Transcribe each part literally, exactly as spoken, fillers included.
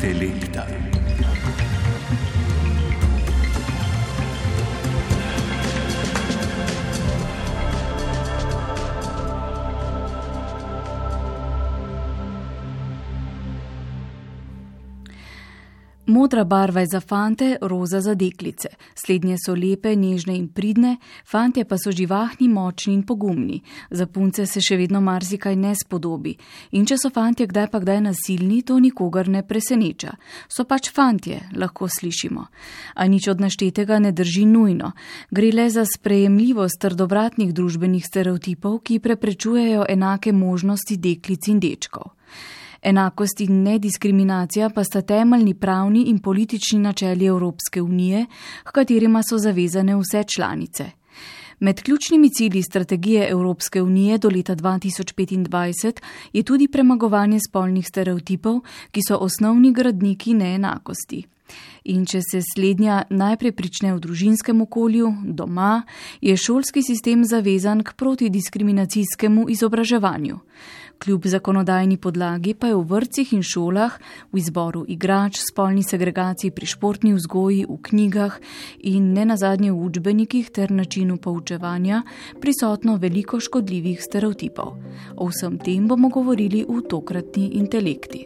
Intelekta. Modra barva je za fante, roza za deklice. Slednje so lepe, nežne in pridne, fantje pa so živahni, močni in pogumni. Za punce se še vedno marsikaj ne spodobi. In če so fantje kdaj pa kdaj nasilni, to nikogar ne preseneča. So pač fantje, lahko slišimo. A nič od naštetega ne drži nujno. Gre le za sprejemljivost trdovratnih družbenih stereotipov, ki preprečujejo enake možnosti deklic in dečkov. Enakost in nediskriminacija pa sta temeljni pravni in politični načeli Evropske unije, h katerima so zavezane vse članice. Med ključnimi cilji strategije Evropske unije do leta dva tisoč petindvajset je tudi premagovanje spolnih stereotipov, ki so osnovni gradniki neenakosti. In če se slednja najprej prične v družinskem okolju, doma, je šolski sistem zavezan k protidiskriminacijskemu izobraževanju. Kljub zakonodajni podlagi pa je v vrtcih in šolah, v izboru igrač, spolni segregaciji pri športni vzgoji, v knjigah in nenazadnje v učbenikih ter načinu poučevanja prisotno veliko škodljivih stereotipov. O vsem tem bomo govorili v tokratni Intelekti.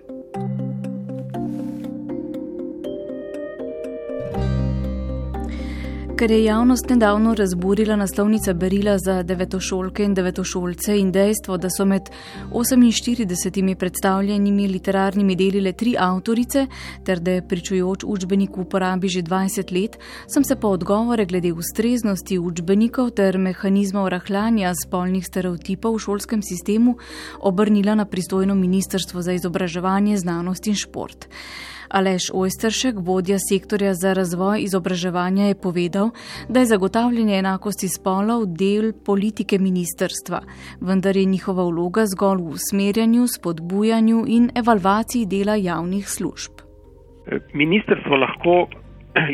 Ker je javnost nedavno razburila naslovnica berila za devetošolke in devetošolce in dejstvo, da so med oseminštiridesetimi predstavljenimi literarnimi deli le tri avtorice, ter da je pričujoč učbenik v uporabi že dvajset let, sem se po odgovore glede ustreznosti učbenikov ter mehanizmov rahljanja spolnih stereotipov v šolskem sistemu obrnila na pristojno Ministrstvo za izobraževanje, znanost in šport. Aleš Ojsteršek, vodja sektorja za razvoj izobraževanja, je povedal, da je zagotavljanje enakosti spolov del politike ministrstva, vendar je njihova vloga zgolj v usmerjanju, spodbujanju in evalvaciji dela javnih služb. Ministrstvo lahko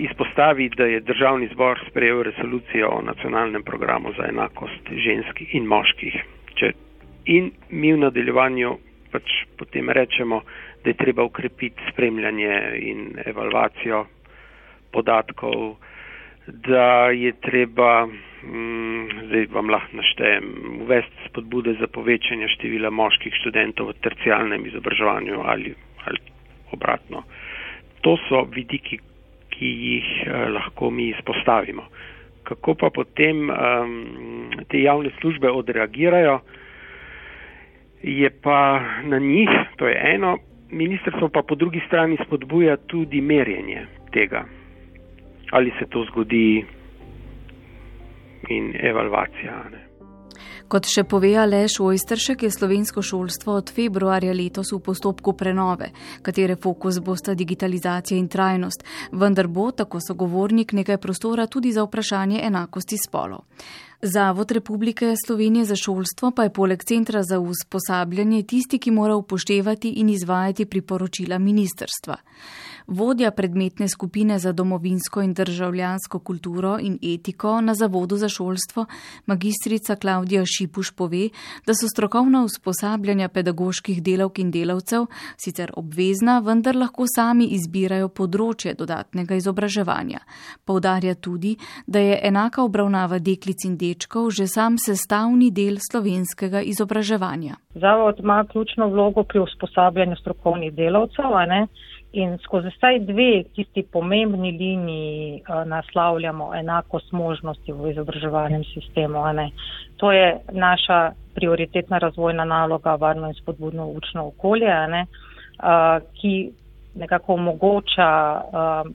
izpostavi, da je Državni zbor sprejel resolucijo o nacionalnem programu za enakost ženskih in moških. Če in mi v nadaljevanju pač potem rečemo, da je treba ukrepiti spremljanje in evalvacijo podatkov, da je treba, hm, zdaj vam lahko naštejem, uvesti spodbude za povečanje števila moških študentov v terciarnem izobraževanju ali, ali obratno. To so vidiki, ki jih eh, lahko mi izpostavimo. Kako pa potem um, te javne službe odreagirajo, je pa na njih, to je eno. Ministrstvo pa po drugi strani spodbuja tudi merjenje tega, ali se to zgodi in evalvacija. Ne. Kot še pove Aleš Ojsteršek, je slovensko šolstvo od februarja letos v postopku prenove, katere fokus bosta digitalizacija in trajnost, vendar bo, tako sogovornik, nekaj prostora tudi za vprašanje enakosti spolov. Zavod Republike Slovenije za šolstvo pa je poleg Centra za usposabljanje tisti, ki mora upoštevati in izvajati priporočila ministrstva. Vodja predmetne skupine za domovinsko in državljansko kulturo in etiko na Zavodu za šolstvo, magistrica Klavdija Šipuš, pove, da so strokovna usposabljanja pedagoških delavk in delavcev sicer obvezna, vendar lahko sami izbirajo področje dodatnega izobraževanja. Poudarja tudi, da je enaka obravnava deklic in dečkov že sam sestavni del slovenskega izobraževanja. Zavod ima ključno vlogo pri usposabljanju strokovnih delavcev, a ne? In skozi vsaj dve tisti pomembni liniji uh, naslavljamo enakost možnosti v izobraževalnem sistemu. Ne? To je naša prioritetna razvojna naloga, varno in spodbudno učno okolje, ne? Uh, ki nekako omogoča uh,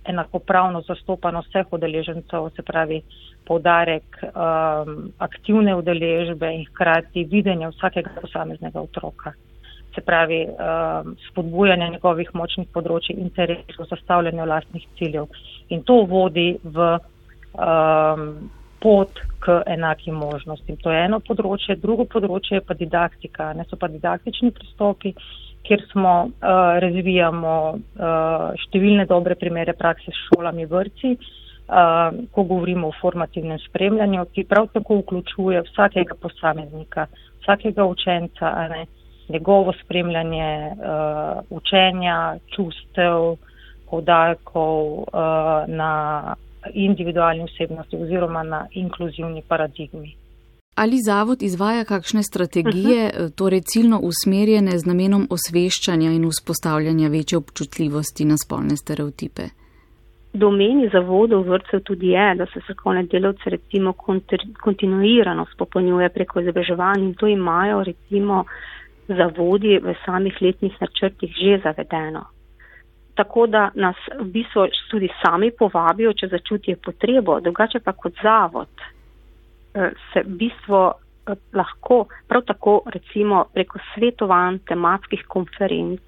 enakopravno zastopano vseh udeležencev, se pravi poudarek um, aktivne udeležbe in hkrati videnja vsakega posameznega otroka. Se pravi, um, spodbujanje njegovih močnih področij, interesov, zastavljanja vlastnih ciljev. In to vodi v um, pot k enakim možnostim. To je eno področje. Drugo področje je pa didaktika. Ne so pa didaktični pristopi, kjer smo uh, razvijamo uh, številne dobre primere prakse s šolami, vrtci, uh, ko govorimo o formativnem spremljanju, ki prav tako vključuje vsakega posameznika, vsakega učenca, a ne, njegovo spremljanje uh, učenja, čustev, poudarkov uh, na individualni osebnosti oziroma na inkluzivni paradigmi. Ali zavod izvaja kakšne strategije, uh-huh. torej ciljno usmerjene z namenom osveščanja in vzpostavljanja večje občutljivosti na spolne stereotipe? Domeni zavodov vrtcev tudi je, da se strokovne delavce recimo kontinuirano spopolnjuje preko izobraževanj in to imajo recimo zavodi v samih letnih načrtih že zavedeno. Tako da nas v bistvu tudi sami povabijo, če začutijo potrebo, drugače pa kot zavod se v bistvu lahko prav tako recimo preko svetovanj, tematskih konferenc,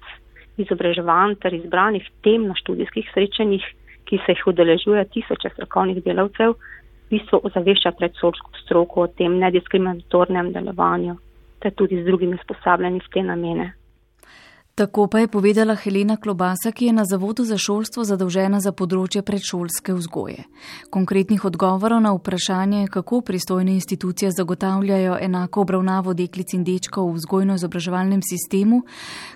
izobraževanj ter izbranih tem na študijskih srečanjih, ki se jih udeležuje tisoče strokovnih delavcev, v bistvu ozavešča predšolsko stroko o tem nediskriminatornem delovanju, ter tudi z drugimi usposabljanji v te namene. Tako pa je povedala Helena Klobasa, ki je na Zavodu za šolstvo zadolžena za področje predšolske vzgoje. Konkretnih odgovorov na vprašanje, kako pristojne institucije zagotavljajo enako obravnavo deklic in dečkov v vzgojno-izobraževalnem sistemu,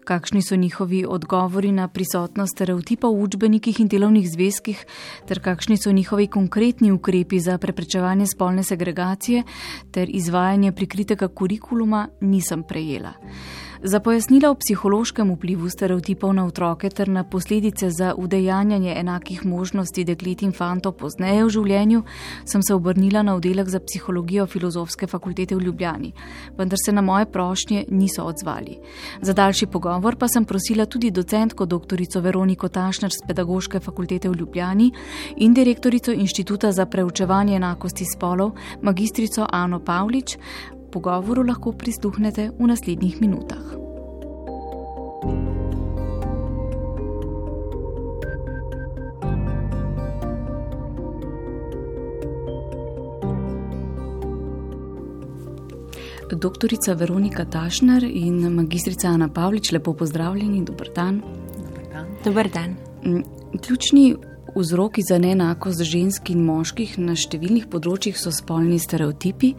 kakšni so njihovi odgovori na prisotnost stereotipov v učbenikih in delovnih zvezkih, ter kakšni so njihovi konkretni ukrepi za preprečevanje spolne segregacije ter izvajanje prikritega kurikuluma, nisem prejela. Za pojasnila o psihološkem vplivu stereotipov na otroke ter na posledice za udejanjanje enakih možnosti deklet in fantov pozneje v življenju sem se obrnila na oddelek za psihologijo Filozofske fakultete v Ljubljani, vendar se na moje prošnje niso odzvali. Za daljši pogovor pa sem prosila tudi docentko doktorico Veroniko Tašner z Pedagoške fakultete v Ljubljani in direktorico Inštituta za preučevanje enakosti spolov, magistrico Ano Pavlič. Pogovoru lahko prisluhnete v naslednjih minutah. Doktorica Veronika Tašner in magistrica Ana Pavlič, lepo pozdravljeni, dober dan. Dober dan. Dober dan. Ključni vzroki za neenakost žensk in moških na številnih področjih so spolni stereotipi,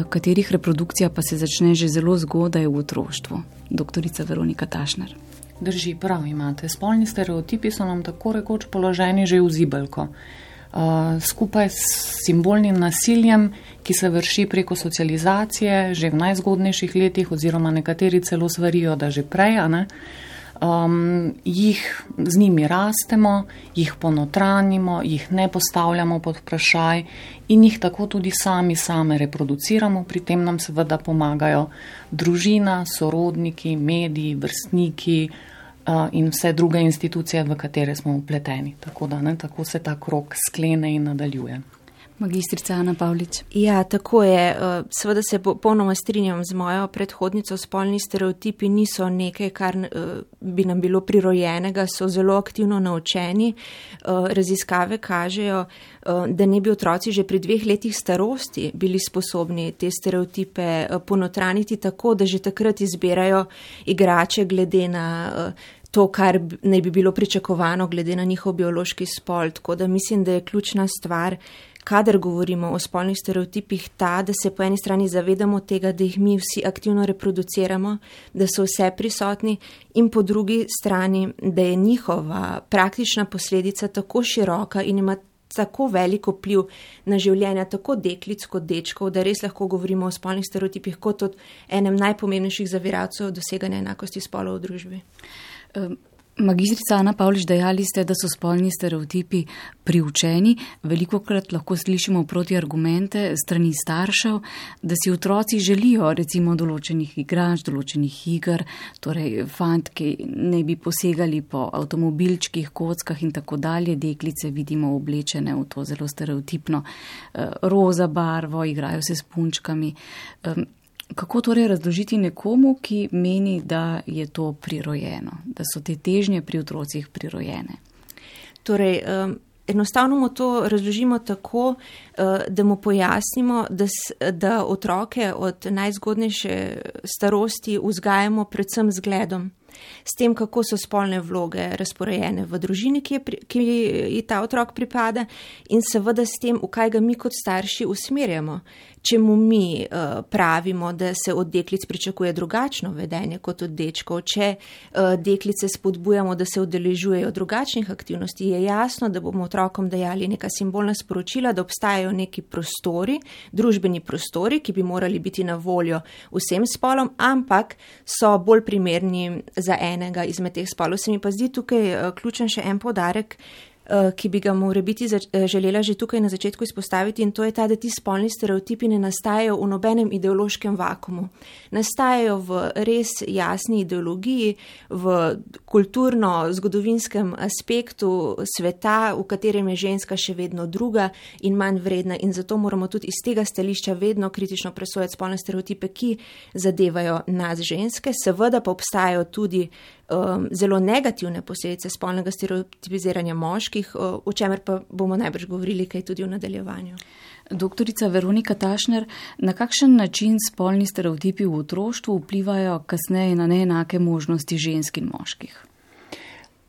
katerih reprodukcija pa se začne že zelo zgodaj v otroštvu. Doktorica Veronika Tašner. Drži, prav imate. Spolni stereotipi so nam tako rekoč položeni že v zibelko. Uh, skupaj s simbolnim nasiljem, ki se vrši preko socializacije že v najzgodnejših letih oziroma nekateri celo svarijo, da že prej, a ne? Um, jih z njimi rastemo, jih ponotranimo, jih ne postavljamo pod vprašaj in jih tako tudi sami same reproduciramo. Pri tem nam seveda pomagajo družina, sorodniki, mediji, vrstniki uh, in vse druge institucije, v katere smo vpleteni. Tako da ne, tako se ta krog sklene in nadaljuje. Magistrica Ana Pavlič. Ja, tako je. Seveda se popolnoma strinjam z mojo predhodnico. Spolni stereotipi niso nekaj, kar bi nam bilo prirojenega, so zelo aktivno naučeni. Raziskave kažejo, da ne bi otroci že pri dveh letih starosti bili sposobni te stereotipe ponotraniti tako, da že takrat izbirajo igrače glede na to, kar naj bi bilo pričakovano glede na njihov biološki spol. Tako da mislim, da je ključna stvar, kadar govorimo o spolnih stereotipih, ta, da se po eni strani zavedamo tega, da jih mi vsi aktivno reproduciramo, da so vse prisotni in po drugi strani, da je njihova praktična posledica tako široka in ima tako veliko vpliv na življenja tako deklic kot dečkov, da res lahko govorimo o spolnih stereotipih kot o enem najpomembnejših zaviralcev doseganja enakosti spolov v družbi. Um. Magistrica Ana Pavlič, dejali ste, da so spolni stereotipi priučeni. Velikokrat lahko slišimo protiargumente strani staršev, da si otroci želijo recimo določenih igrač, določenih iger, torej fantki ne bi posegali po avtomobilčkih, kockah in tako dalje. Deklice vidimo oblečene v to zelo stereotipno roza barvo, igrajo se s punčkami. Kako torej razložiti nekomu, ki meni, da je to prirojeno, da so te težnje pri otrocih prirojene? Torej, um, enostavno mu to razložimo tako, uh, da mu pojasnimo, da, da otroke od najzgodnejše starosti vzgajamo predvsem z zgledom. S tem, kako so spolne vloge razporejene v družini, ki, je, ki ji ta otrok pripada in seveda s tem, v kaj ga mi kot starši usmerjamo. čemu mi uh, pravimo, da se od deklic pričakuje drugačno vedenje kot od dečkov, če uh, deklice spodbujamo, da se udeležujejo drugačnih aktivnosti, je jasno, da bomo otrokom dajali neka simbolna sporočila, da obstajajo neki prostori, družbeni prostori, ki bi morali biti na voljo vsem spolom, ampak so bolj primerni za enega izmed teh spolov. Se mi pa zdi tukaj uh, ključen še en poudarek, ki bi ga mora biti želela že tukaj na začetku izpostaviti, in to je ta, da ti spolni stereotipi ne nastajajo v nobenem ideološkem vakumu. Nastajajo v res jasni ideologiji, v kulturno-zgodovinskem aspektu sveta, v katerem je ženska še vedno druga in manj vredna, in zato moramo tudi iz tega stališča vedno kritično presojati spolne stereotipe, ki zadevajo nas ženske. Seveda pa obstajajo tudi um, zelo negativne posledice spolnega stereotipiziranja moških, o čemer pa bomo najbrž govorili kaj tudi v nadaljevanju. Doktorica Veronika Tašner, na kakšen način spolni stereotipi v otroštvu vplivajo kasneje na neenake možnosti žensk in moških?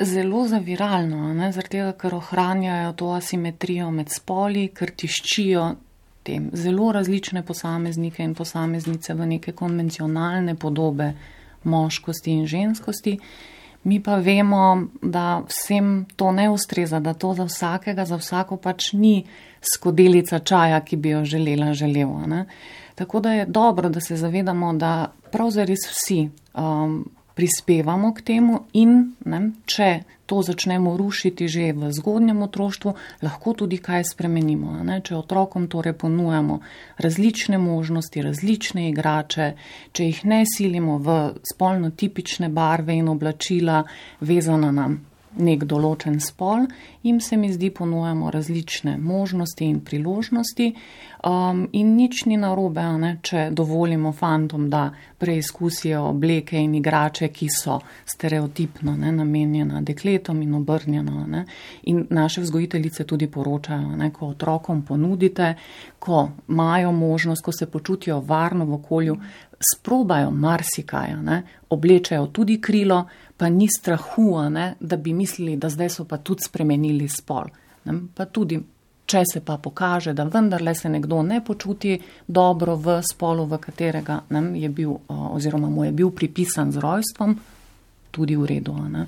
Zelo zaviralno, ne? Zaradi tega, ker ohranjajo to asimetrijo med spoli, ker tiščijo tem zelo različne posameznike in posameznice v neke konvencionalne podobe moškosti in ženskosti. Mi pa vemo, da vsem to ne ustreza, da to za vsakega, za vsako pač ni skodelica čaja, ki bi jo želela, želela. Ne? Tako da je dobro, da se zavedamo, da prav zares vsi um, prispevamo k temu in ne, če to začnemo rušiti že v zgodnjem otroštvu, lahko tudi kaj spremenimo. Ne? Če otrokom torej ponujamo različne možnosti, različne igrače, če jih ne silimo v spolno tipične barve in oblačila vezana na nek določen spol, jim se mi zdi ponujamo različne možnosti in priložnosti um, in nič ni narobe, ne, če dovolimo fantom, da preizkusijo obleke in igrače, ki so stereotipno ne, namenjena dekletom in obrnjeno. Ne. In naše vzgojiteljice tudi poročajo, ne, ko otrokom ponudite, ko imajo možnost, ko se počutijo varno v okolju, sprobajo marsikaj, ne, oblečajo tudi krilo, pa ni strahu, ne, da bi mislili, da zdaj so pa tudi spremenili spol. Ne, pa tudi, če se pa pokaže, da vendarle se nekdo ne počuti dobro v spolu, v katerega ne, je bil, oziroma mu je bil pripisan z rojstvom, tudi v redu. Ne.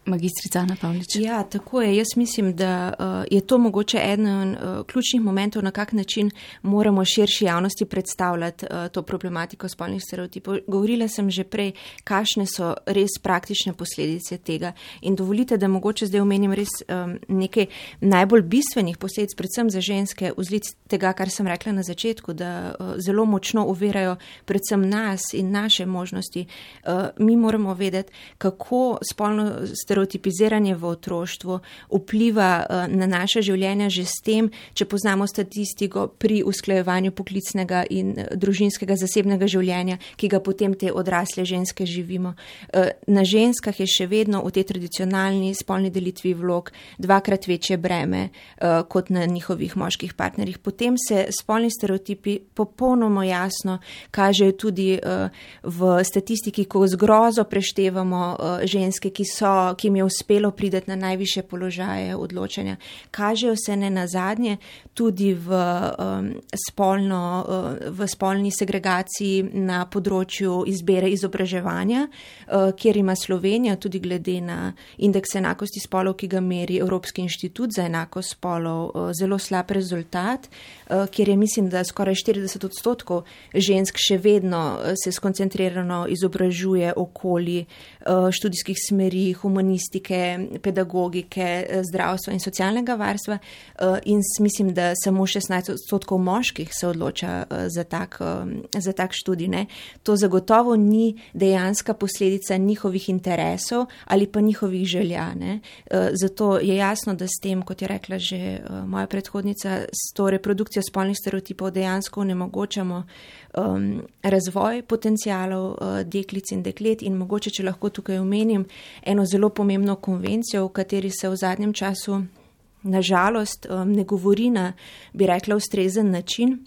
Magistrica Ana Pavlič. Ja, tako je. Jaz mislim, da uh, je to mogoče eden uh, ključnih momentov, na kak način moramo širši javnosti predstavljati uh, to problematiko spolnih stereotipov. Govorila sem že prej, kakšne so res praktične posledice tega. In dovolite, da mogoče zdaj omenim res um, nekaj najbolj bistvenih posledic, predvsem za ženske, vzlic tega, kar sem rekla na začetku, da uh, zelo močno uvirajo predvsem nas in naše možnosti. Uh, mi moramo vedeti, kako spolno stereotipiziranje v otroštvu vpliva na naše življenje že s tem, če poznamo statistiko pri usklajevanju poklicnega in družinskega zasebnega življenja, ki ga potem te odrasle ženske živimo. Na ženskah je še vedno v tej tradicionalni spolni delitvi vlog dvakrat večje breme kot na njihovih moških partnerjih. Potem se spolni stereotipi popolnoma jasno kažejo tudi v statistiki, ko z grozo preštevamo ženske, ki so ki jim je uspelo prideti na najvišje položaje odločanja. Kažejo se ne nazadnje tudi v, um, spolno, uh, v spolni segregaciji na področju izbere izobraževanja, uh, kjer ima Slovenija tudi glede na indeks enakosti spolov, ki ga meri Evropski inštitut za enakost spolov, uh, zelo slab rezultat, uh, kjer je mislim, da skoraj štirideset odstotkov žensk še vedno uh, se skoncentrirano izobražuje okoli uh, študijskih smeri, humanistike, pedagogike, zdravstva in socialnega varstva in mislim, da samo šestnajst odstotkov moških se odloča za tak, za tak študij. Ne. To zagotovo ni dejanska posledica njihovih interesov ali pa njihovih želja. Ne. Zato je jasno, da s tem, kot je rekla že moja predhodnica, s to reprodukcijo spolnih stereotipov dejansko onemogočamo um, razvoj potencialov uh, deklic in deklet in mogoče, če lahko tukaj omenim, eno zelo pomembno konvencijo, v kateri se v zadnjem času nažalost um, ne govori na, bi rekla, ustrezen način.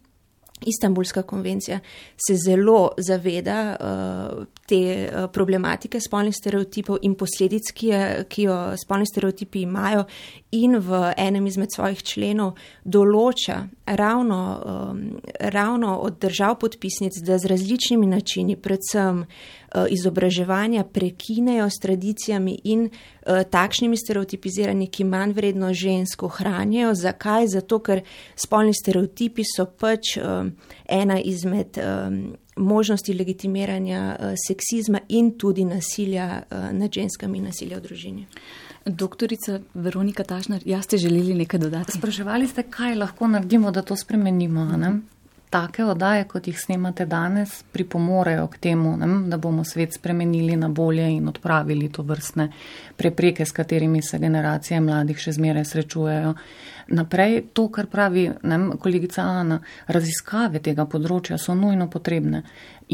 Istanbulska konvencija se zelo zaveda uh, te uh, problematike spolnih stereotipov in posledic, ki, je, ki jo spolni stereotipi imajo, in v enem izmed svojih členov določa ravno, um, ravno od držav podpisnic, da z različnimi načini, predvsem uh, izobraževanja, prekinejo s tradicijami in uh, takšnimi stereotipiziranji, ki manj vredno žensko ohranjajo. Zakaj? Zato, ker spolni stereotipi so pač um, ena izmed um, možnosti legitimiranja uh, seksizma in tudi nasilja uh, nad ženskami in nasilja v družini. Doktorica Veronika Tašner, ja, ste želeli nekaj dodati? Spraševali ste, kaj lahko naredimo, da to spremenimo, ne? Take oddaje, kot jih snemate danes, pripomorejo k temu, ne, da bomo svet spremenili na bolje in odpravili to vrstne prepreke, s katerimi se generacije mladih še zmeraj srečujejo. Naprej, to, kar pravi ne, kolegica Ana, raziskave tega področja so nujno potrebne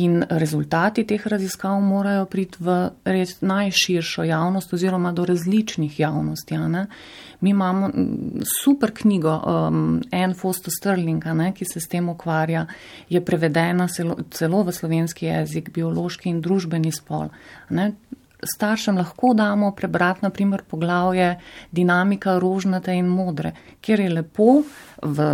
in rezultati teh raziskav morajo priti v res najširšo javnost oziroma do različnih javnosti. Ne. Mi imamo super knjigo um, Anne Foster Sterling, ne, ki se s tem ukvarja, je prevedena celo, celo v slovenski jezik, biološki in družbeni spol. Ne. Staršem lahko damo prebrati, na primer, poglavje Dinamika rožnate in modre, kjer je lepo v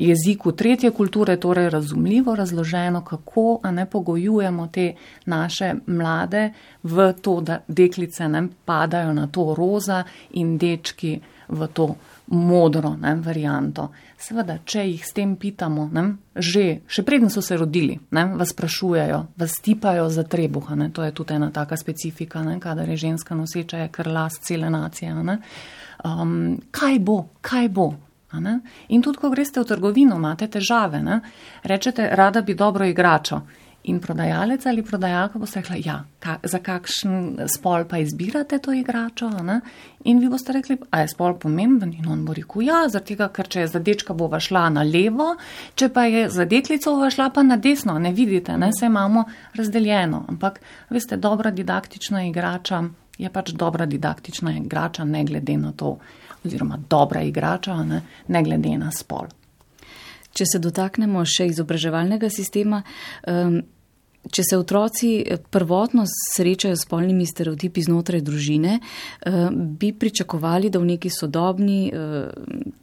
jeziku tretje kulture, torej razumljivo razloženo, kako a ne pogojujemo te naše mlade v to, da deklice ne padajo na to roza in dečki v to modro ne, varianto. Seveda, če jih s tem pitamo, ne, že, še preden so se rodili, ne, vas sprašujejo, vas tipajo za trebuha, ne, to je tudi ena taka specifika, ne, kadar je ženska noseča, je kar last cele nacije. Ne, um, kaj bo, kaj bo? Ne? In tudi, ko greste v trgovino, imate težave, ne, rečete, rada bi dobro igračo. In prodajalec ali prodajalka boste rekla, ja, ka, za kakšen spol pa izbirate to igračo, ne? In vi boste rekli, a je spol pomemben? In on bo rekel, ja, zaradi tega, ker če je za dečka bova šla na levo, če pa je za deklico bova šla pa na desno, ne vidite, ne, se imamo razdeljeno. Ampak, veste, dobra didaktična igrača je pač dobra didaktična igrača, ne glede na to, oziroma dobra igrača, ne, ne glede na spol. Če se dotaknemo še izobraževalnega sistema, um, če se otroci prvotno srečajo s spolnimi stereotipi znotraj družine, bi pričakovali, da v neki sodobni,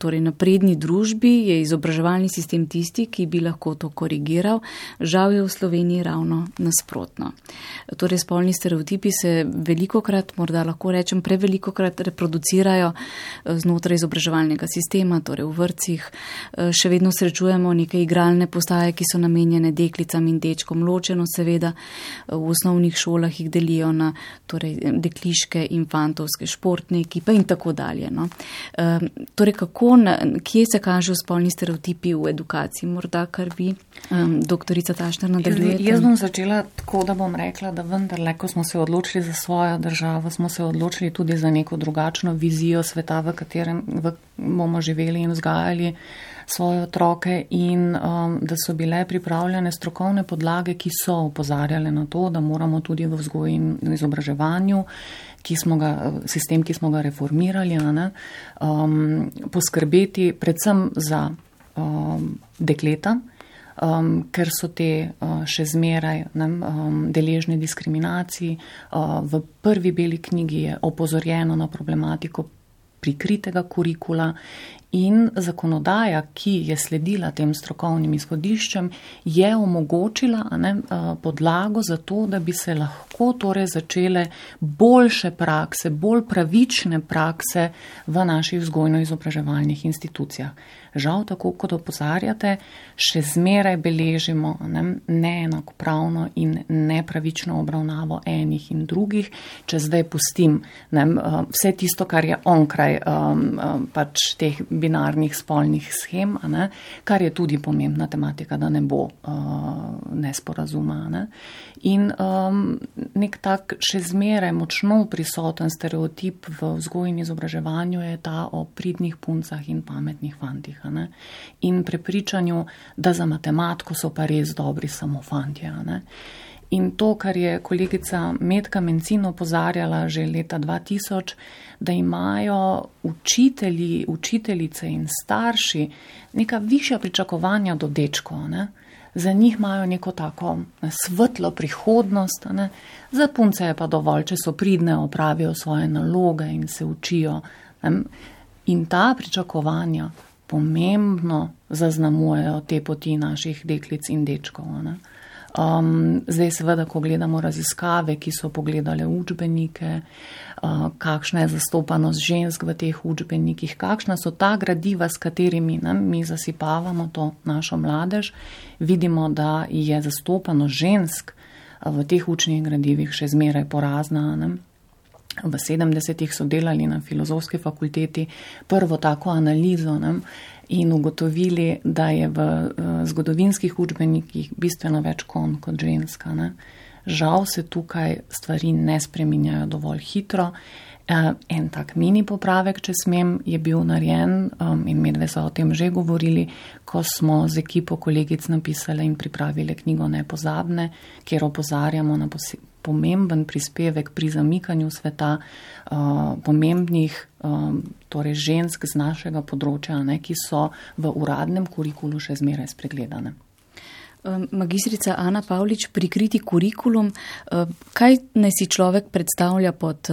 torej napredni družbi je izobraževalni sistem tisti, ki bi lahko to korigiral. Žal je v Sloveniji ravno nasprotno. Torej spolni stereotipi se velikokrat, morda lahko rečem, prevelikokrat reproducirajo znotraj izobraževalnega sistema, torej v vrtcih. Še vedno srečujemo neke igralne postaje, ki so namenjene deklicam in dečkom ločeno. Seveda v osnovnih šolah jih delijo na torej, dekliške in fantovske športne ekipe in tako dalje. No. E, torej, kako, na, kje se kažejo spolni stereotipi v edukaciji? Morda, kar vi, um, doktorica Tašner, nadaljujete? Jaz, jaz bom začela tako, da bom rekla, da vendarle, ko smo se odločili za svojo državo, smo se odločili tudi za neko drugačno vizijo sveta, v katerem v, bomo živeli in vzgajali svoje otroke in um, da so bile pripravljene strokovne podlage, ki so opozarjale na to, da moramo tudi v vzgoji in izobraževanju, ki smo ga, sistem, ki smo ga reformirali, ne, um, poskrbeti predvsem za um, dekleta, um, ker so te uh, še zmeraj ne, um, deležne diskriminaciji. Uh, v prvi beli knjigi je opozorjeno na problematiko prikritega kurikula in zakonodaja, ki je sledila tem strokovnim izhodiščem, je omogočila ne, podlago za to, da bi se lahko torej začele boljše prakse, bolj pravične prakse v naših vzgojno-izobraževalnih institucijah. Žal, tako kot opozarjate, še zmeraj beležimo ne, neenakopravno in nepravično obravnavo enih in drugih, če zdaj pustim ne, vse tisto, kar je onkraj um, pač teh binarnih spolnih schem, ne, kar je tudi pomembna tematika, da ne bo uh, nesporazuma. Ne. In um, nek tak še zmeraj močno prisoten stereotip v vzgoji in izobraževanju je ta o pridnih puncah in pametnih fantih. Ne. In prepričanju, da za matematiko so pa res dobri samo fantje. Ne. In to, kar je kolegica Metka Mencin opozarjala že leta dva tisoč, da imajo učitelji, učiteljice in starši neka višja pričakovanja do dečkov. Ne. za njih imajo neko tako svetlo prihodnost, ne? Za punce je pa dovolj, če so pridne, opravijo svoje naloge in se učijo. Ne? In ta pričakovanja pomembno zaznamujejo te poti naših deklic in dečkov. Ne? Um, zdaj seveda, ko gledamo raziskave, ki so pogledale učbenike, uh, kakšna je zastopanost žensk v teh učbenikih, kakšna so ta gradiva, s katerimi ne, mi zasipavamo to našo mladež, vidimo, da je zastopanost žensk uh, v teh učnih gradivih še zmeraj porazna. Ne? V sedemdesetih so delali na filozofski fakulteti prvo tako analizo, ne? In ugotovili, da je v uh, zgodovinskih učbenikih bistveno več konj kot ženska. Ne? Žal se tukaj stvari ne spreminjajo dovolj hitro. Uh, en tak mini popravek, če smem, je bil narejen um, in medve so o tem že govorili, ko smo z ekipo kolegic napisali in pripravili knjigo Nepozabne, kjer opozarjamo na posebej pomemben prispevek pri zamikanju sveta uh, pomembnih um, torej žensk z našega področja, ne, ki so v uradnem kurikulu še zmeraj spregledane. Magistrica Ana Pavlič, prikriti kurikulum, kaj naj si človek predstavlja pod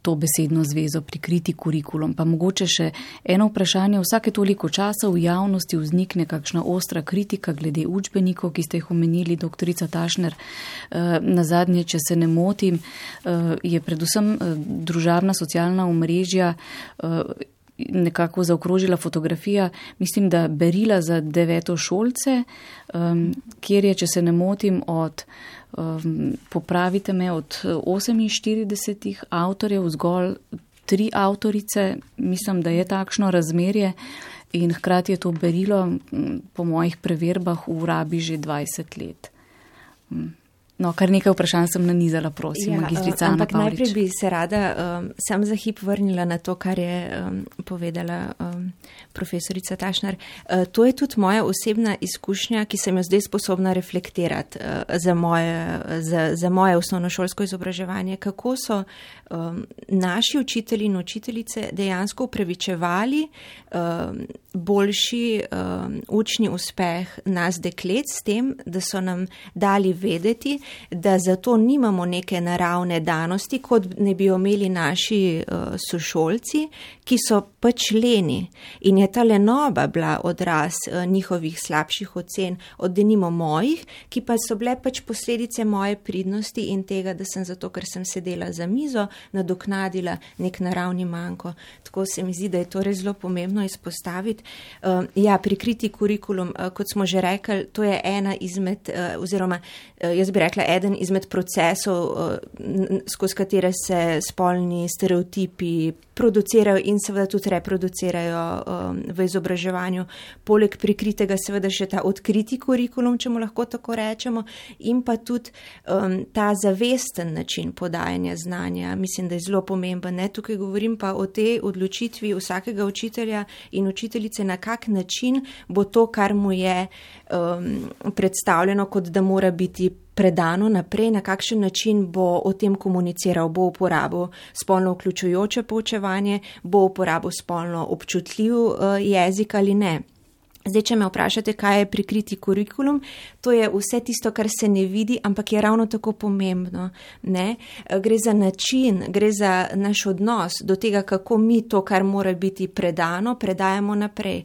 to besedno zvezo prikriti kurikulum? Pa mogoče še eno vprašanje, vsake toliko časa v javnosti vznikne kakšna ostra kritika glede učbenikov, ki ste jih omenili, doktorica Tašner. Nazadnje, če se ne motim, je predvsem družabna socialna omrežja nekako zaokrožila fotografija, mislim, da berila za devetošolce, um, kjer je, če se ne motim, od, um, popravite me, od oseminštiridesetih avtorjev zgolj tri avtorice, mislim, da je takšno razmerje in hkrati je to berilo po mojih preverbah v rabi že dvajset let. Um. No, kar nekaj vprašanj sem nanizala, prosim, ja, magistrica Ana Pavlič. Ampak najprej bi se rada um, sam za hip vrnila na to, kar je um, povedala um, profesorica Tašner. Uh, to je tudi moja osebna izkušnja, ki sem jo zdaj sposobna reflektirati uh, za, moje, za, za moje osnovnošolsko izobraževanje. Kako so um, naši učitelji in učiteljice dejansko upravičevali um, boljši um, učni uspeh nas deklet s tem, da so nam dali vedeti, da zato nimamo neke naravne danosti, kot ne bi imeli naši uh, sošolci, ki so pač leni. In je ta lenoba bila odraz uh, njihovih slabših ocen, od denimo mojih, ki pa so bile pač posledice moje pridnosti in tega, da sem zato, ker sem sedela za mizo, nadoknadila nek naravni manko. Tako se mi zdi, da je to res zelo pomembno izpostaviti. Uh, ja, prikriti kurikulum, uh, kot smo že rekli, to je ena izmed, uh, oziroma uh, jaz bi rekla, eden izmed procesov, skozi katere se spolni stereotipi producirajo in seveda tudi reproducirajo v izobraževanju. Poleg prikritega seveda še ta odkriti kurikulum, če mu lahko tako rečemo, in pa tudi um, ta zavesten način podajanja znanja. Mislim, da je zelo pomemben. Ne? Tukaj govorim pa o tej odločitvi vsakega učitelja in učiteljice, na kak način bo to, kar mu je um, predstavljeno, kot da mora biti predano naprej, na kakšen način bo o tem komuniciral, bo uporabil spolno vključujoče poučevanje, bo uporabil spolno občutljiv uh, jezik ali ne. Zdaj, če me vprašate, kaj je prikriti kurikulum, to je vse tisto, kar se ne vidi, ampak je ravno tako pomembno. Ne? Gre za način, gre za naš odnos do tega, kako mi to, kar mora biti predano, predajamo naprej.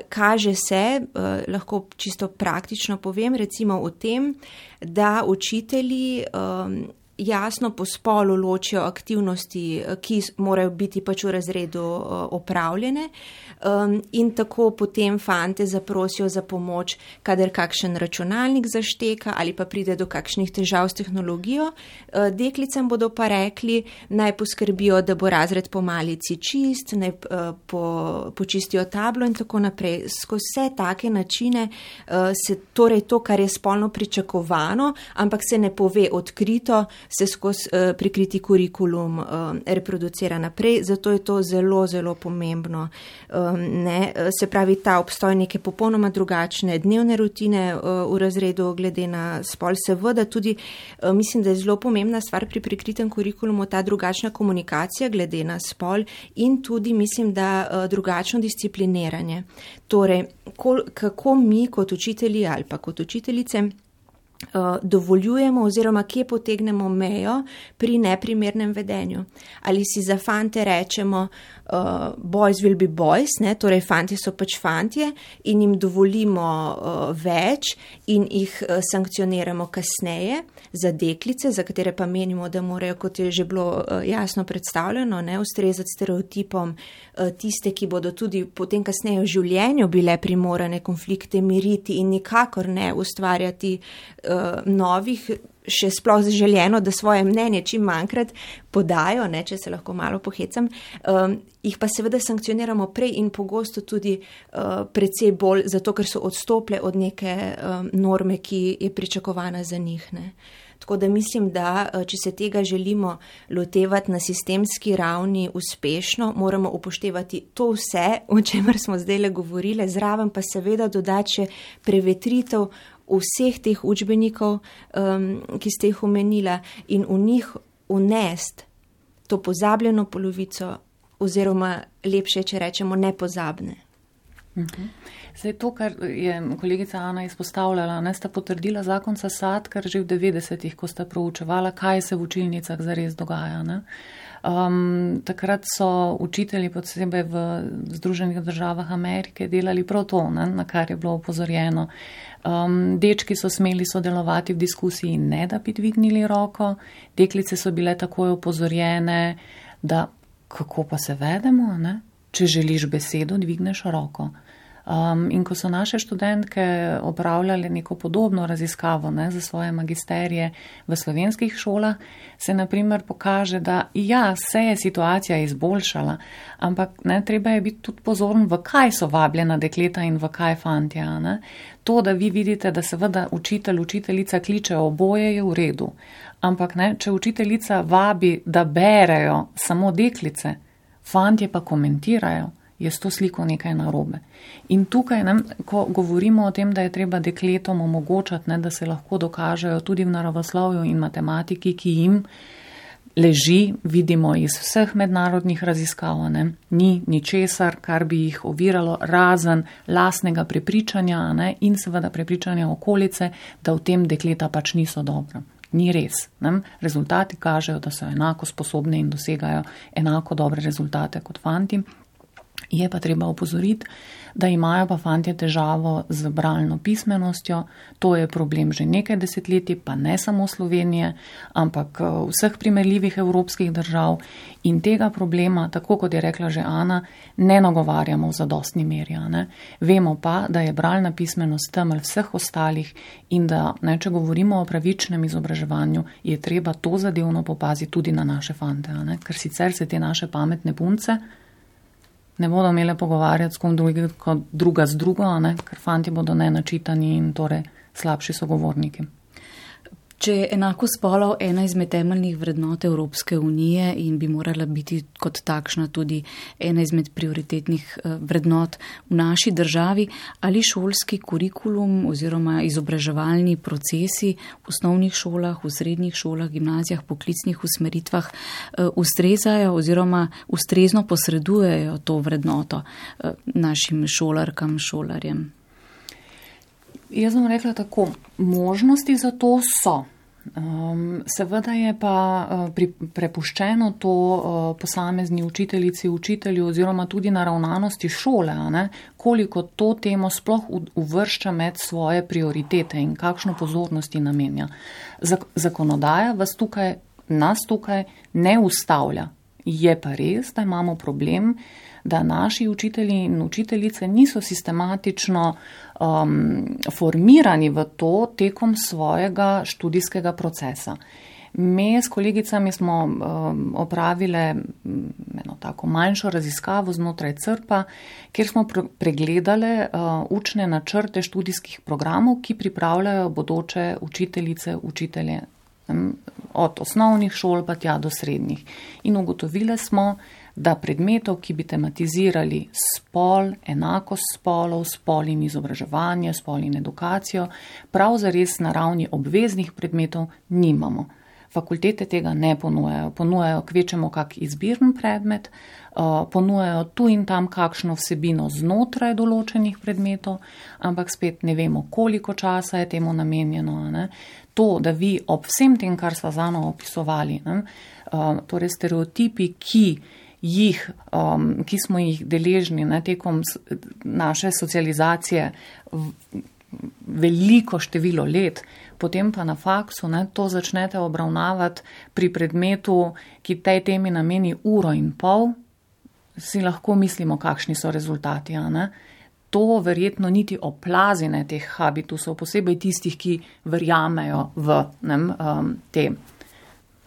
Kaže se, lahko čisto praktično povem, recimo v tem, da učitelji jasno po spolu ločijo aktivnosti, ki morajo biti pač v razredu opravljene, in tako potem fante zaprosijo za pomoč, kadar kakšen računalnik zašteka ali pa pride do kakšnih težav s tehnologijo. Deklicam bodo pa rekli, naj poskrbijo, da bo razred po malici čist, naj po, počistijo tablo in tako naprej. Skozi vse take načine se torej to, kar je spolno pričakovano, ampak se ne pove odkrito, se skozi uh, prikriti kurikulum uh, reproducira naprej, zato je to zelo, zelo pomembno. Um, ne, se pravi, ta obstoj neke popolnoma drugačne dnevne rutine uh, v razredu glede na spol. Seveda tudi uh, mislim, da je zelo pomembna stvar pri prikritem kurikulumu ta drugačna komunikacija glede na spol in tudi mislim, da uh, drugačno discipliniranje. Torej, kol, kako mi kot učitelji ali pa kot učiteljice uh, dovoljujemo oziroma kje potegnemo mejo pri neprimernem vedenju. Ali si za fante rečemo uh, boys will be boys, ne? Torej fanti so pač fantje in jim dovolimo uh, več in jih uh, sankcioniramo kasneje za deklice, za katere pa menimo, da morajo, kot je že bilo uh, jasno predstavljeno, ne, ustrezati stereotipom uh, tiste, ki bodo tudi potem kasneje v življenju bile primorane konflikte miriti in nikakor ne ustvarjati uh, novih, še sploh zaželjeno, da svoje mnenje čim manjkrat podajo, ne, če se lahko malo pohecam, um, jih pa seveda sankcioniramo prej in pogosto tudi uh, precej bolj, zato ker so odstople od neke um, norme, ki je pričakovana za njih. Ne. Tako da mislim, da če se tega želimo lotevati na sistemski ravni uspešno, moramo upoštevati to vse, o čemer smo zdaj le govorile, zraven pa seveda dodati še prevetritev vseh teh učbenikov, um, ki ste jih omenila in v njih unest to pozabljeno polovico oziroma lepše, če rečemo, nepozabne. Mhm. Zdaj to, kar je kolegica Ana izpostavljala, ne, sta potrdila zakon S A S A D, kar že v devetdesetih, ko sta proučevala, kaj se v učilnicah zares dogaja. Ne. Um, takrat so učitelji, posebej v Združenih državah Amerike, delali prav to, ne, na kar je bilo upozorjeno. Um, dečki so smeli sodelovati v diskusiji, ne da bi dvignili roko, deklice so bile takoj upozorjene, da kako pa se vedemo, ne? Če želiš besedo, dvigneš roko. Um, in ko so naše študentke opravljale neko podobno raziskavo, ne, za svoje magisterije v slovenskih šolah, se naprimer pokaže, da ja, se je situacija izboljšala, ampak ne, treba je biti tudi pozoren, v kaj so vabljena dekleta in v kaj fantja. Ne. To, da vi vidite, da seveda učitelj, učiteljica kliče oboje, je v redu, ampak ne, če učiteljica vabi, da berejo samo deklice, fantje pa komentirajo, je s to sliko nekaj narobe. In tukaj, ne, ko govorimo o tem, da je treba dekletom omogočati, ne, da se lahko dokažejo tudi v naravoslovju in matematiki, ki jim leži, vidimo iz vseh mednarodnih raziskav, ne, ni ničesar, kar bi jih oviralo, razen lastnega prepričanja, ne, in seveda prepričanja okolice, da v tem dekleta pač niso dobra. Ni res. Ne? Rezultati kažejo, da so enako sposobne in dosegajo enako dobre rezultate kot fanti. Je pa treba opozoriti, da imajo pa fantje težavo z bralno pismenostjo. To je problem že nekaj desetletij, pa ne samo Slovenije, ampak vseh primerljivih evropskih držav. In tega problema, tako kot je rekla že Ana, ne nagovarjamo v zadostni meri. Ne? Vemo pa, da je bralna pismenost temelj vseh ostalih in da, ne, če govorimo o pravičnem izobraževanju, je treba to zadevno popaziti tudi na naše fante. Ne? Ker sicer se te naše pametne punce ne bodo imele pogovarjati s kom drugi, kot druga z drugo, ne? Ker fanti bodo nenačitani in torej slabši sogovorniki. Če je enako spolov ena izmed temeljnih vrednot Evropske unije in bi morala biti kot takšna tudi ena izmed prioritetnih vrednot v naši državi, ali šolski kurikulum oziroma izobraževalni procesi v osnovnih šolah, v srednjih šolah, gimnazijah, poklicnih usmeritvah ustrezajo oziroma ustrezno posredujejo to vrednoto našim šolarkam, šolarjem? Jaz bom rekla tako, možnosti za to so. Um, seveda je pa uh, pri, prepuščeno to uh, posamezni učiteljici, učitelju oziroma tudi naravnanosti šole, ne, koliko to temo sploh uvršča med svoje prioritete in kakšno pozornosti namenja. Zak- zakonodaja vas tukaj, nas tukaj ne ustavlja. Je pa res, da imamo problem, da naši učitelji in učiteljice niso sistematično um, formirani v to tekom svojega študijskega procesa. Mi s kolegicami smo um, opravile eno tako manjšo raziskavo znotraj C R P-a, kjer smo pr- pregledale uh, učne načrte študijskih programov, ki pripravljajo bodoče učiteljice, učitelje. Um, od osnovnih šol pa tja do srednjih. In ugotovili smo, da predmetov, ki bi tematizirali spol, enakost spolov, spol in izobraževanje, spol in edukacijo, prav zares na ravni obveznih predmetov nimamo. Fakultete tega ne ponujajo. Ponujajo kvečemo kak izbirni predmet, ponujajo tu in tam kakšno vsebino znotraj določenih predmetov, ampak spet ne vemo, koliko časa je temu namenjeno. Ne? To, da vi ob vsem tem, kar sva zano opisovali, ne? Torej stereotipi, ki jih, um, ki smo jih deležni ne, tekom naše socializacije veliko število let, potem pa na faksu ne, to začnete obravnavati pri predmetu, ki tej temi nameni uro in pol, si lahko mislimo, kakšni so rezultati. Ne? To verjetno niti oplazine teh habitusov, posebej tistih, ki verjamejo v ne, um, te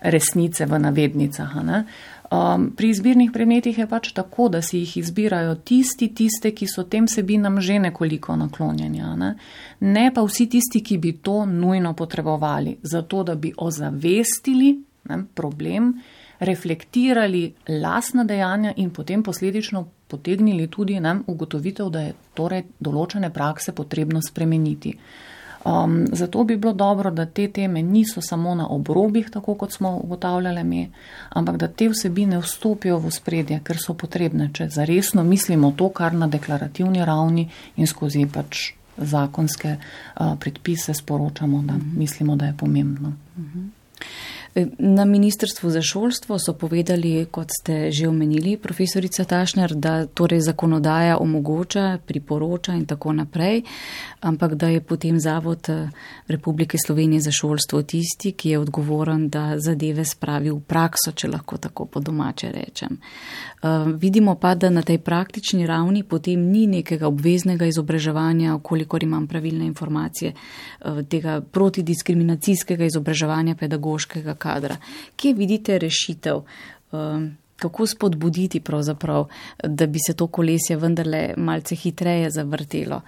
resnice v navednicah. Ne? Um, pri izbirnih predmetih je pač tako, da si jih izbirajo tisti, tiste, ki so tem sebinam že nekoliko naklonjeni. Ne? ne pa vsi tisti, ki bi to nujno potrebovali, zato da bi ozavestili ne, problem, reflektirali lastna dejanja in potem posledično potegnili tudi ne, ugotovitev, da je torej določene prakse potrebno spremeniti. Um, zato bi bilo dobro, da te teme niso samo na obrobih, tako kot smo ugotavljali mi, ampak da te vsebine vstopijo v ospredje, ker so potrebne, če zaresno mislimo to, kar na deklarativni ravni in skozi pač zakonske uh, predpise sporočamo, da uh-huh. mislimo, da je pomembno. Uh-huh. Na Ministrstvu za šolstvo so povedali, kot ste že omenili, profesorica Tašner, da torej zakonodaja omogoča, priporoča in tako naprej, ampak da je potem Zavod Republike Slovenije za šolstvo tisti, ki je odgovoren, da zadeve spravi v prakso, če lahko tako po domače rečem. Uh, vidimo pa, da na tej praktični ravni potem ni nekega obveznega izobraževanja, kolikor imam pravilne informacije, uh, tega protidiskriminacijskega izobraževanja pedagoškega kadra. Kje vidite rešitev? Uh, kako spodbuditi pravzaprav, da bi se to kolesje vendarle malce hitreje zavrtelo?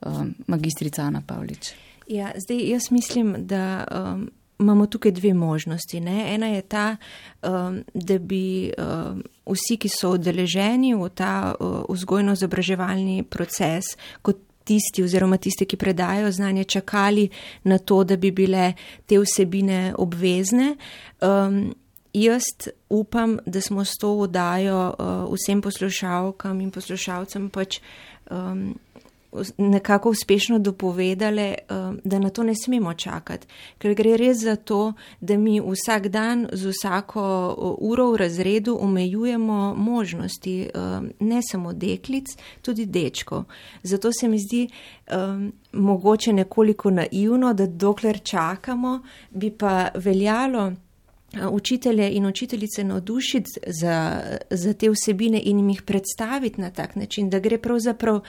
Uh, magistrica Ana Pavlič. Ja, zdaj jaz mislim, da um, imamo tukaj dve možnosti. Ne? Ena je ta, um, da bi um, vsi, ki so udeleženi v ta uh, vzgojno-izobraževalni proces, kot tisti oziroma tisti, ki predajo znanje, čakali na to, da bi bile te vsebine obvezne. Um, jaz upam, da smo s to oddajo uh, vsem poslušalkam in poslušalcem pač um, nekako uspešno dopovedali, da na to ne smemo čakati, ker gre res za to, da mi vsak dan z vsako uro v razredu omejujemo možnosti ne samo deklic, tudi dečkov. Zato se mi zdi um, mogoče nekoliko naivno, da dokler čakamo, bi pa veljalo učitelje in učiteljice navdušiti za, za te vsebine in jim jih predstaviti na tak način, da gre pravzaprav uh,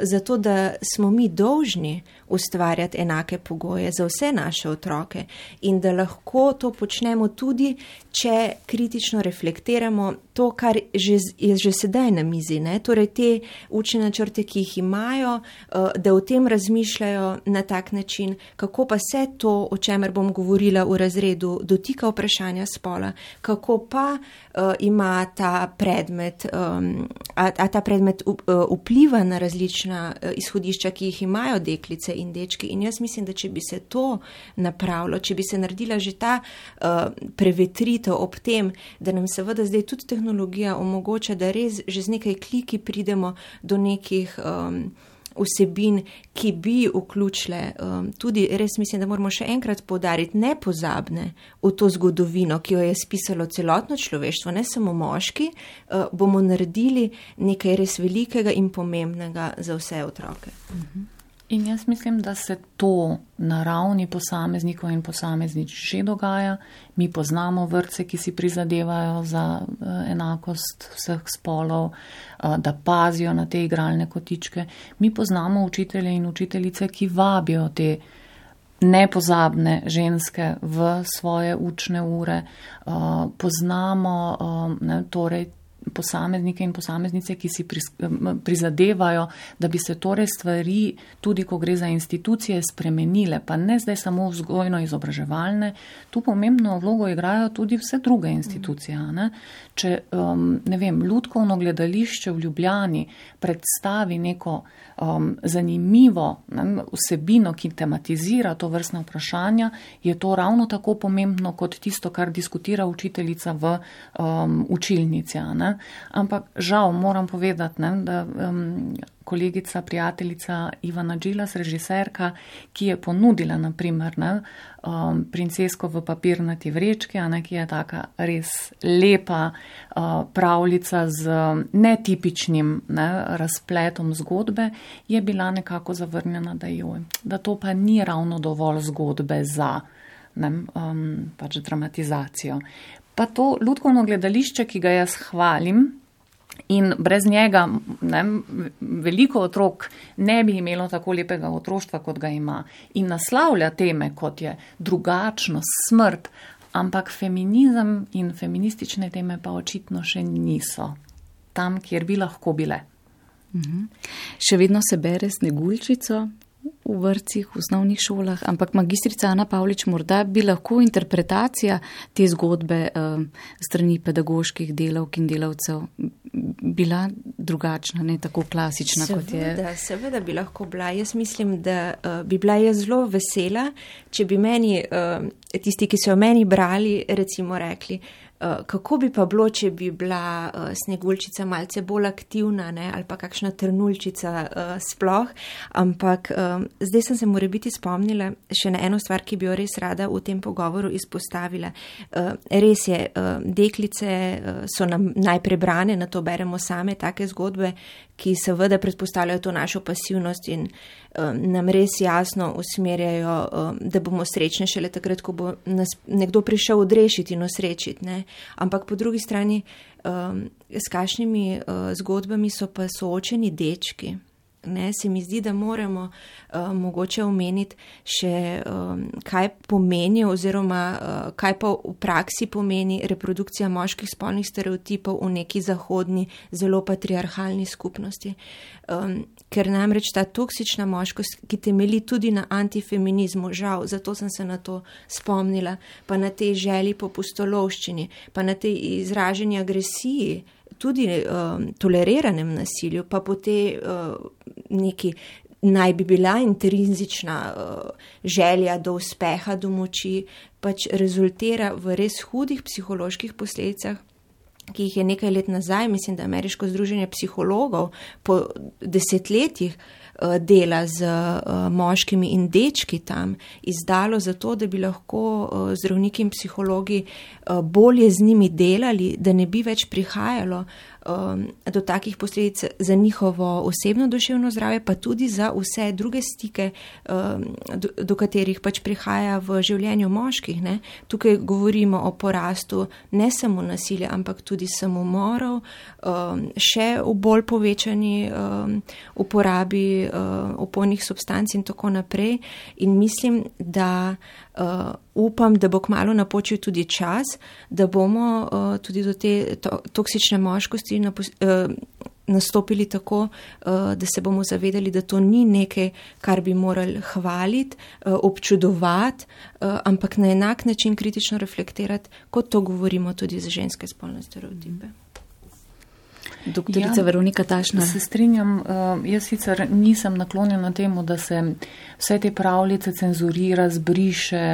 za to, da smo mi dolžni ustvarjati enake pogoje za vse naše otroke in da lahko to počnemo tudi, če kritično reflektiramo to, kar že, je že sedaj na mizi, ne? Torej te učne načrte, ki jih imajo, uh, da o tem razmišljajo na tak način, kako pa se to, o čemer bom govorila v razredu, dotika vprašanja spola, kako pa uh, ima ta predmet, um, a, a ta predmet up, uh, vpliva na različna uh, izhodišča, ki jih imajo deklice in dečki. In jaz mislim, da če bi se to napravilo, če bi se naredila že ta uh, prevetritev ob tem, da nam seveda zdaj tudi tehnologija omogoča, da res že z nekaj kliki pridemo do nekih um, vsebin, ki bi vključile um, tudi, res mislim, da moramo še enkrat poudariti, nepozabne v to zgodovino, ki jo je spisalo celotno človeštvo, ne samo moški, uh, bomo naredili nekaj res velikega in pomembnega za vse otroke. Mhm. In jaz mislim, da se to na ravni posameznikov in posameznic že dogaja. Mi poznamo vrtce, ki si prizadevajo za enakost vseh spolov, da pazijo na te igralne kotičke. Mi poznamo učitelje in učiteljice, ki vabijo te nepozabne ženske v svoje učne ure. Poznamo, ne, torej, posameznike in posameznice, ki si prizadevajo, da bi se torej stvari, tudi ko gre za institucije, spremenile, pa ne zdaj samo vzgojno-izobraževalne, tu pomembno vlogo igrajo tudi vse druge institucije. Ne? Če, um, ne vem, Lutkovno gledališče v Ljubljani predstavi neko um, zanimivo ne, vsebino, ki tematizira to vrstne vprašanja, je to ravno tako pomembno kot tisto, kar diskutira učiteljica v um, učilnici. Ne? Ampak žal moram povedati, ne, da um, kolegica, prijateljica Ivana Džilas, režiserka, ki je ponudila naprimer ne, um, Princesko v papirnati vrečki, a ne, ki je taka res lepa uh, pravljica z netipičnim ne, razpletom zgodbe, je bila nekako zavrnjena, da, joj, da to pa ni ravno dovolj zgodbe za ne, um, pač dramatizacijo. Pa to Lutkovno gledališče, ki ga jaz hvalim, in brez njega ne, veliko otrok ne bi imelo tako lepega otroštva, kot ga ima. In naslavlja teme, kot je drugačnost, smrt, ampak feminizem in feministične teme pa očitno še niso tam, kjer bi lahko bile. Mhm. Še vedno se bere Sneguljčico v vrtcih, v osnovnih šolah, ampak magistrica Ana Pavlič, morda bi lahko interpretacija te zgodbe eh, strani pedagoških delavk in delavcev bila drugačna, ne tako klasična, seveda, kot je. Da, seveda bi lahko bila. Jaz mislim, da uh, bi bila jaz zelo vesela, če bi meni, uh, tisti, ki so meni brali, recimo rekli, uh, kako bi pa bilo, če bi bila uh, Sneguljčica malce bolj aktivna, ne, ali pa kakšna Trnuljčica uh, sploh, ampak um, zdaj sem se morebiti spomnila še na eno stvar, ki bi jo res rada v tem pogovoru izpostavila. Uh, res je, uh, deklice uh, so nam najprej brane, na to beremo same take zgodbe, ki seveda predpostavljajo to našo pasivnost in um, nam res jasno usmerjajo, um, da bomo srečni šele takrat, ko bo nas nekdo prišel odrešiti in osrečiti. Ne? Ampak po drugi strani, um, s kakšnimi uh, zgodbami so pa soočeni dečki. Ne, se mi zdi, da moramo uh, mogoče omeniti še, um, kaj pomeni oziroma uh, kaj pa v praksi pomeni reprodukcija moških spolnih stereotipov v neki zahodni, zelo patriarhalni skupnosti. Um, ker namreč ta toksična moškost, ki temelji tudi na antifeminizmu, žal, zato sem se na to spomnila, pa na tej želji po pustolovščini, pa na tej izraženi agresiji, tudi uh, toleriranem nasilju, pa po te uh, neki naj bi bila intrinzična uh, želja do uspeha, do moči, pač rezultira v res hudih psiholoških posledicah, ki jih je nekaj let nazaj, mislim, da Ameriško združenje psihologov po desetletjih uh, dela z uh, moškimi in dečki tam izdalo zato, da bi lahko uh, zdravniki in psihologi uh, bolje z njimi delali, da ne bi več prihajalo um, do takih posledic za njihovo osebno duševno zdravje, pa tudi za vse druge stike, um, do, do katerih pač prihaja v življenju moških. Ne? Tukaj govorimo o porastu ne samo nasilja, ampak tudi samomorov, um, še v bolj povečani um, uporabi um, opojnih substanc in tako naprej. In mislim, da uh, upam, da bo kmalu napočil tudi čas, da bomo uh, tudi do te to, toksične moškosti napos, uh, nastopili tako, uh, da se bomo zavedali, da to ni nekaj, kar bi morali hvaliti, uh, občudovati, uh, ampak na enak način kritično reflektirati, kot to govorimo tudi za ženske spolne stereotipe. Doktorica ja, Veronika Tašner. Se strinjam, jaz sicer nisem naklonjena temu, da se vse te pravljice cenzurira, zbriše,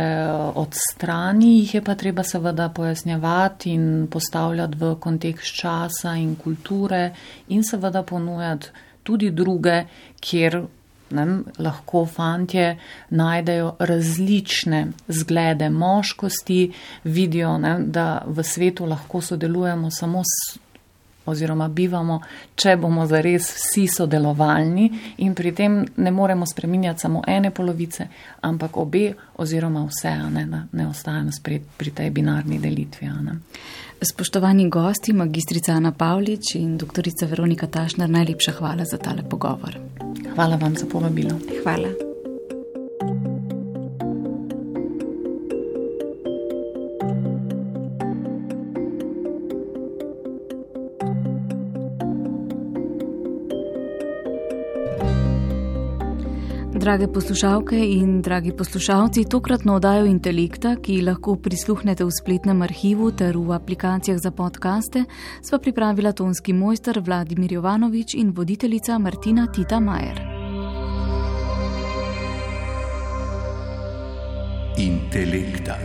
odstrani, jih je pa treba seveda pojasnjevati in postavljati v kontekst časa in kulture in seveda ponujati tudi druge, kjer ne, lahko fantje najdejo različne zglede moškosti, vidijo, ne, da v svetu lahko sodelujemo samo s oziroma bivamo, če bomo zares vsi sodelovalni in pri tem ne moremo spreminjati samo ene polovice, ampak obe oziroma vse, ne, ne ostajamo spred pri tej binarni delitvi. Ne. Spoštovani gosti, magistrica Ana Pavlič in doktorica Veronika Tašner, najlepša hvala za tale pogovor. Hvala vam za povabilo. Hvala. Thank you. Drage poslušalke in dragi poslušalci, tokratno oddajo Intelekta, ki lahko prisluhnete v spletnem arhivu ter v aplikacijah za podcaste, sva pripravila tonski mojster Vladimir Jovanovič in voditeljica Martina Tita Majer. Intelekta.